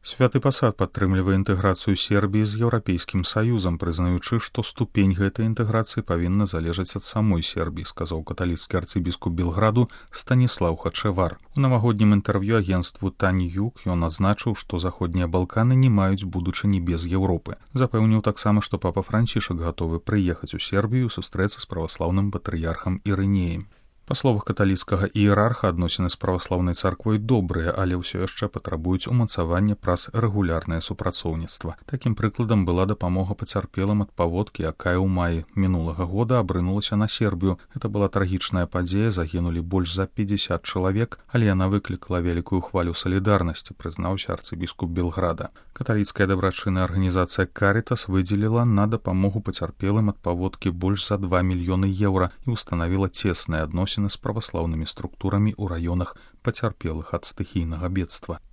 Святы пасад падтрымлівае інтэграцыю Сербіі з Еўрапейскім саюзам, прызнаючы, што ступень гэтай інтэграцыі павінна залежаць ад самой Сербіі, сказаў каталіцкі арцыбіскуп Белграду Станіслаў Хачевар. У навагоднім інтэрв'ю агенцтву Таньюк ён адзначыў, што заходнія Балканы не маюць будучыні без Еўропы. Запэўніў таксама, што папа Францішак гатовы прыехаць у Сербію сустрэцца з праваслаўным патрыярхам Ірынеем. Па словах каталіцкага іерарха, адносіны з праваслаўнай царквой добрыя, але ўсё яшчэ патрабуюць умацавання праз рэгулярнае супрацоўніцтва. Такім прыкладам была дапамога пацярпелым ад паводкі, якая ў маі мінулага года абрынулася на Сербію. Гэта была трагічная падзея, загінулі больш за 50 чалавек, але яна выклікала вялікую хвалю салідарнасці, прызнаўся арцыбіскуп Белграда. Каталіцкая дабрачынная арганізацыя Карітас выдзеліла на дапамогу пацярпелым ад паводкі больш за 2 мільёны еўра і ўстанавіла цесныя адносіны з праваслаўнымі структурамі ў раёнах пацярпелых ад стыхійнага бедства.